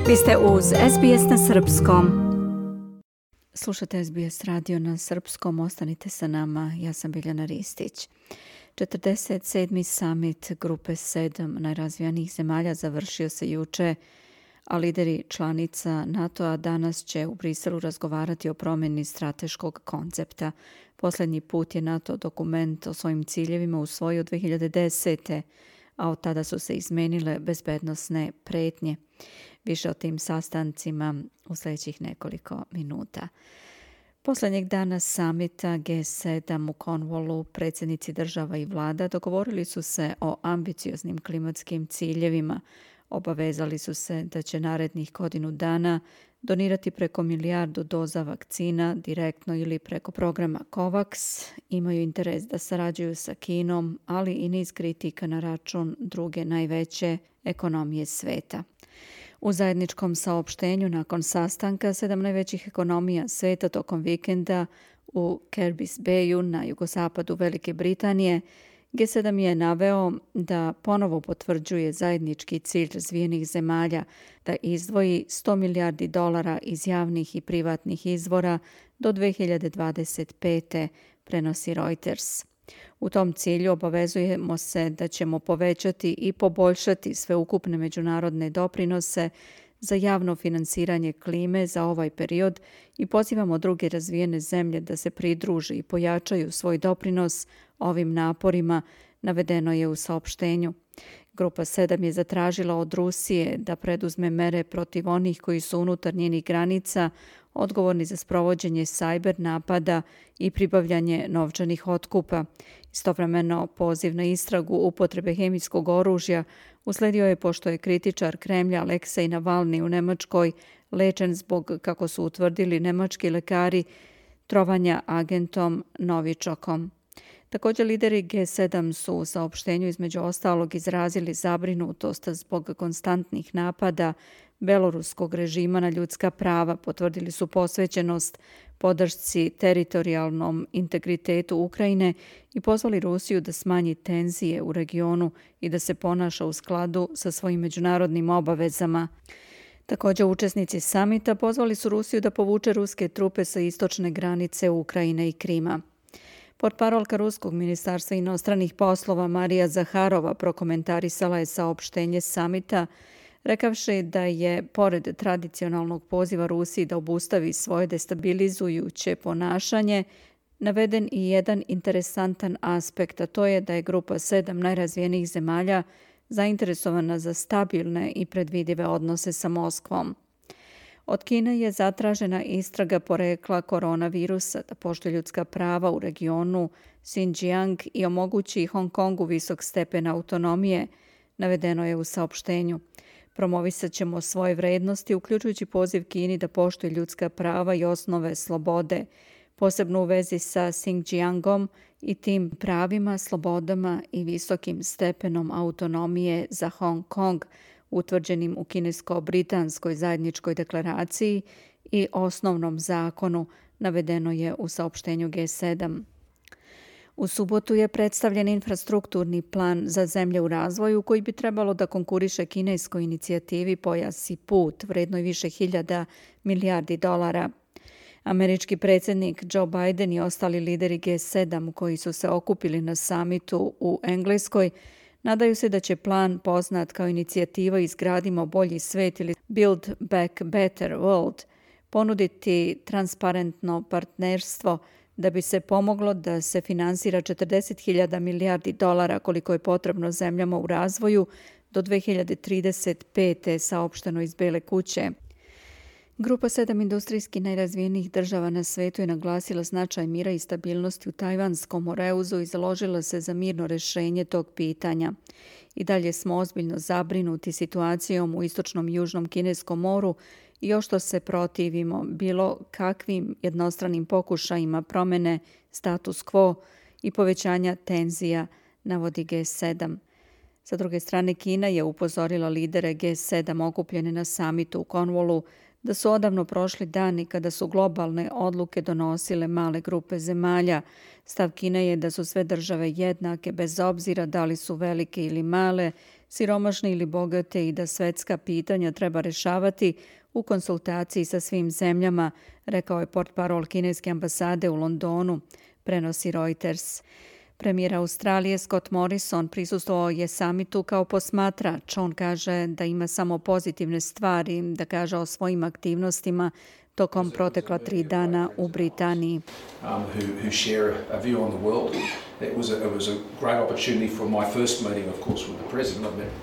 Vi ste uz SBS na srpskom. Slušate SBS radio na srpskom, ostanite sa nama, ja sam Biljana Ristić. 47. summit Grupe 7 najrazvijenijih zemalja završio se juče, a lideri članica NATO-a danas će u Briselu razgovarati o promjeni strateškog koncepta. Posljednji put je NATO dokument o svojim ciljevima usvojio 2010. a od tada su se izmenile bezbednosne prijetnje. Više o tim sastancima u sljedećih nekoliko minuta. Posljednjeg dana samita G7 u Cornwallu predsjednici država i vlada dogovorili su se o ambicioznim klimatskim ciljevima. Obavezali su se da će narednih godinu dana donirati preko 1 milijardu doza vakcina direktno ili preko programa COVAX. Imaju interes da sarađuju sa Kinom, ali i niz kritika na račun druge najveće ekonomije sveta. U zajedničkom saopštenju nakon sastanka 7 najvećih ekonomija sveta tokom vikenda u Kerbis Bayu na jugozapadu Velike Britanije, G7 je naveo da ponovo potvrđuje zajednički cilj razvijenih zemalja da izdvoji $100 milijardi iz javnih i privatnih izvora do 2025. prenosi Reuters. U tom cilju obavezujemo se da ćemo povećati i poboljšati sveukupne međunarodne doprinose za javno finansiranje klime za ovaj period i pozivamo druge razvijene zemlje da se pridruže i pojačaju svoj doprinos ovim naporima, navedeno je u saopštenju. Grupa 7 je zatražila od Rusije da preduzme mere protiv onih koji su unutar njenih granica odgovorni za sprovođenje cyber napada i pribavljanje novčanih otkupa. Istovremeno poziv na istragu upotrebe hemijskog oružja usledio je pošto je kritičar Kremlja Aleksej Navalni u Nemačkoj lečen zbog, kako su utvrdili nemački lekari, trovanja agentom Novičokom. Također lideri G7 su u saopštenju između ostalog izrazili zabrinutost zbog konstantnih napada beloruskog režima na ljudska prava, potvrdili su posvećenost podršci teritorijalnom integritetu Ukrajine i pozvali Rusiju da smanji tenzije u regionu i da se ponaša u skladu sa svojim međunarodnim obavezama. Također učesnici samita pozvali su Rusiju da povuče ruske trupe sa istočne granice Ukrajine i Krima. Portparolka Ruskog ministarstva inostranih poslova Marija Zaharova prokomentarisala je saopštenje samita, rekavši da je, pored tradicionalnog poziva Rusiji da obustavi svoje destabilizujuće ponašanje, naveden i jedan interesantan aspekt, a to je da je Grupa 7 najrazvijenijih zemalja zainteresovana za stabilne i predvidive odnose sa Moskvom. Od Kine je zatražena istraga porekla koronavirusa, da poštuje ljudska prava u regionu Xinjiang i omogući Hong Kongu visok stepen autonomije, navedeno je u saopštenju. Promovisat ćemo svoje vrednosti, uključujući poziv Kini da poštuje ljudska prava i osnove slobode, posebno u vezi sa Xinjiangom i tim pravima, slobodama i visokim stepenom autonomije za Hong Kong, utvrđenim u kinesko-britanskoj zajedničkoj deklaraciji i osnovnom zakonu, navedeno je u saopštenju G7. U subotu je predstavljen infrastrukturni plan za zemlje u razvoju koji bi trebalo da konkuriše kineskoj inicijativi Pojas i put, vrednoj više hiljada milijardi dolara. Američki predsjednik Joe Biden i ostali lideri G7 koji su se okupili na samitu u Engleskoj nadaju se da će plan, poznat kao inicijativa Izgradimo bolji svet ili Build Back Better World, ponuditi transparentno partnerstvo da bi se pomoglo da se finansira 40.000 milijardi dolara koliko je potrebno zemljama u razvoju do 2035. saopšteno iz Bele kuće. Grupa 7 industrijski najrazvijenijih država na svetu je naglasila značaj mira i stabilnosti u Tajvanskom moreuzu i založila se za mirno rješenje tog pitanja. I dalje smo ozbiljno zabrinuti situacijom u istočnom i južnom Kineskom moru i još što se protivimo bilo kakvim jednostranim pokušajima promjene status quo i povećanja tenzija, navodi G7. Sa druge strane, Kina je upozorila lidere G7 okupljene na samitu u Cornwallu da su odavno prošli dani kada su globalne odluke donosile male grupe zemalja. Stav Kine je da su sve države jednake bez obzira da li su velike ili male, siromašni ili bogati i da svetska pitanja treba rešavati u konsultaciji sa svim zemljama, rekao je portparol kineske ambasade u Londonu, prenosi Reuters. Premijer Australije Scott Morrison prisustvovao je samitu kao posmatrač. On kaže da ima samo pozitivne stvari da kaže o svojim aktivnostima tokom protekla 3 dana u Britaniji.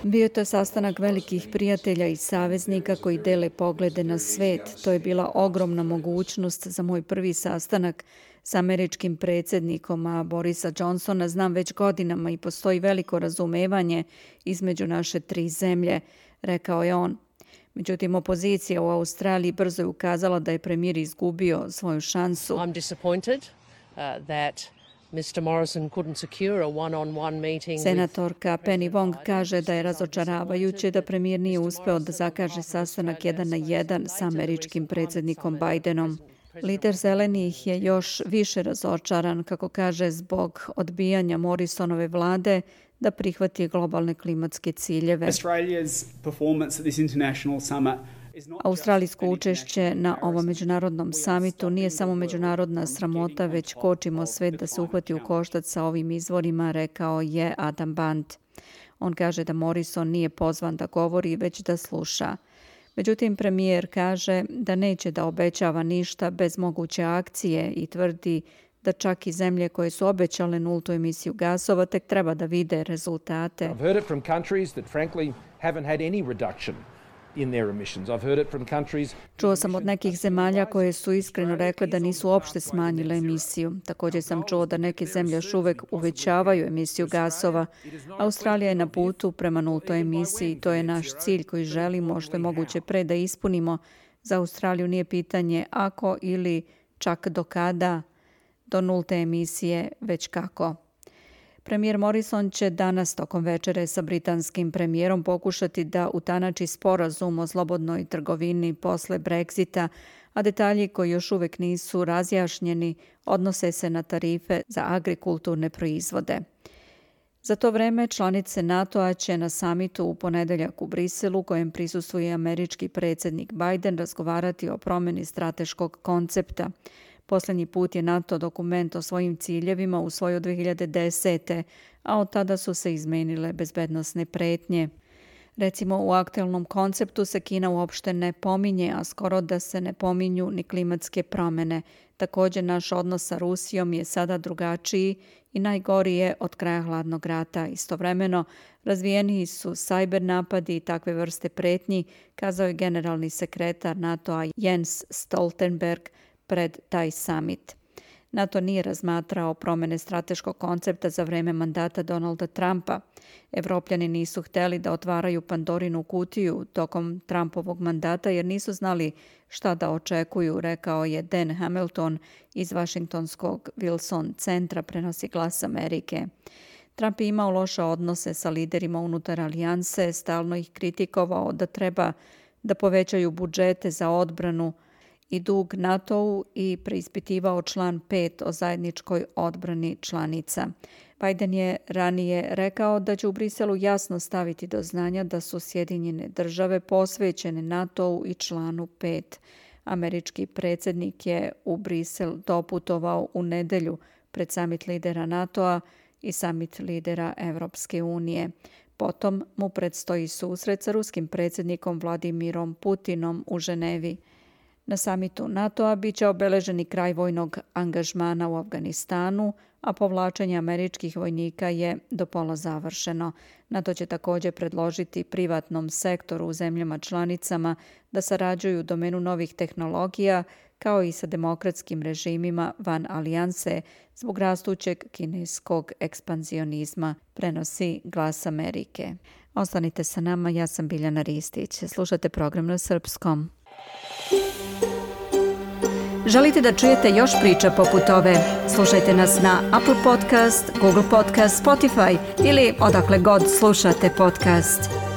Bio je to sastanak velikih prijatelja i saveznika koji dele poglede na svet. To je bila ogromna mogućnost za moj prvi sastanak s američkim predsjednikom, a Borisa Johnsona znam već godinama i postoji veliko razumevanje između naše 3 zemlje, rekao je on. Međutim, opozicija u Australiji brzo je ukazala da je premijer izgubio svoju šansu. I'm disappointed that Mr. Morrison couldn't secure a one-on-one meeting. Senatorka Penny Wong kaže da je razočaravajuće da premijer nije uspeo da zakaže sastanak 1 na 1 sa američkim predsjednikom Bidenom. Lider Zelenih je još više razočaran, kako kaže, zbog odbijanja Morrisonove vlade da prihvati globalne klimatske ciljeve. Australijsko učešće na ovom međunarodnom samitu nije samo međunarodna sramota, već kočimo svet da se uhvati u koštac sa ovim izvorima, rekao je Adam Band. On kaže da Morrison nije pozvan da govori, već da sluša. Međutim, premijer kaže da neće da obećava ništa bez moguće akcije i tvrdi da čak i zemlje koje su obećale nultu emisiju gasova tek treba da vide rezultate. I've heard it from countries that frankly haven't had any reduction in their emissions. I've heard it from countries. Čuo sam od nekih zemalja koje su iskreno rekle da nisu uopšte smanjile emisiju. Također sam čuo da neke zemlje još uvek uvećavaju emisiju gasova. Australija je na putu prema nultoj emisiji. To je naš cilj koji želimo što je moguće pre da ispunimo. Za Australiju nije pitanje ako ili čak do kada do nulte emisije, već kako. Premijer Morrison će danas tokom večere sa britanskim premijerom pokušati da utanači sporazum o slobodnoj trgovini posle Brexita, a detalji koji još uvek nisu razjašnjeni odnose se na tarife za agrikulturne proizvode. Za to vreme članice NATO-a će na samitu u ponedeljak u Briselu, kojem prisustvuje američki predsjednik Biden, razgovarati o promjeni strateškog koncepta. Posljednji put je NATO dokument o svojim ciljevima usvojio 2010. a od tada su se izmenile bezbednosne pretnje. Recimo, u aktualnom konceptu se Kina uopšte ne pominje, a skoro da se ne pominju ni klimatske promjene. Također, naš odnos sa Rusijom je sada drugačiji i najgori je od kraja hladnog rata. Istovremeno, razvijeniji su cyber napadi i takve vrste pretnji, kazao je generalni sekretar NATO-a Jens Stoltenberg pred taj summit. NATO nije razmatrao promjene strateškog koncepta za vreme mandata Donalda Trumpa. Evropljani nisu hteli da otvaraju Pandorinu kutiju tokom Trumpovog mandata jer nisu znali šta da očekuju, rekao je Dan Hamilton iz Vašingtonskog Wilson centra, prenosi Glas Amerike. Trump je imao loše odnose sa liderima unutar alijanse, stalno ih kritikovao da treba da povećaju budžete za odbranu i dug NATO-u i preispitivao član 5 o zajedničkoj odbrani članica. Biden je ranije rekao da će u Briselu jasno staviti do znanja da su Sjedinjene države posvećene NATO-u i članu 5. Američki predsjednik je u Brisel doputovao u nedelju pred samit lidera NATO-a i samit lidera Evropske unije. Potom mu predstoji susret sa ruskim predsjednikom Vladimirom Putinom u Ženevi. Na samitu NATO-a bit će obeleženi kraj vojnog angažmana u Afganistanu, a povlačenje američkih vojnika je do pola završeno. NATO će također predložiti privatnom sektoru u zemljama članicama da sarađuju u domenu novih tehnologija, kao i sa demokratskim režimima van alijanse zbog rastućeg kineskog ekspanzionizma, prenosi Glas Amerike. Ostanite sa nama, ja sam Biljana Ristić. Slušate program na srpskom. Želite da čujete još priča poput ove? Slušajte nas na Apple Podcast, Google Podcast, Spotify ili odakle god slušate podcast.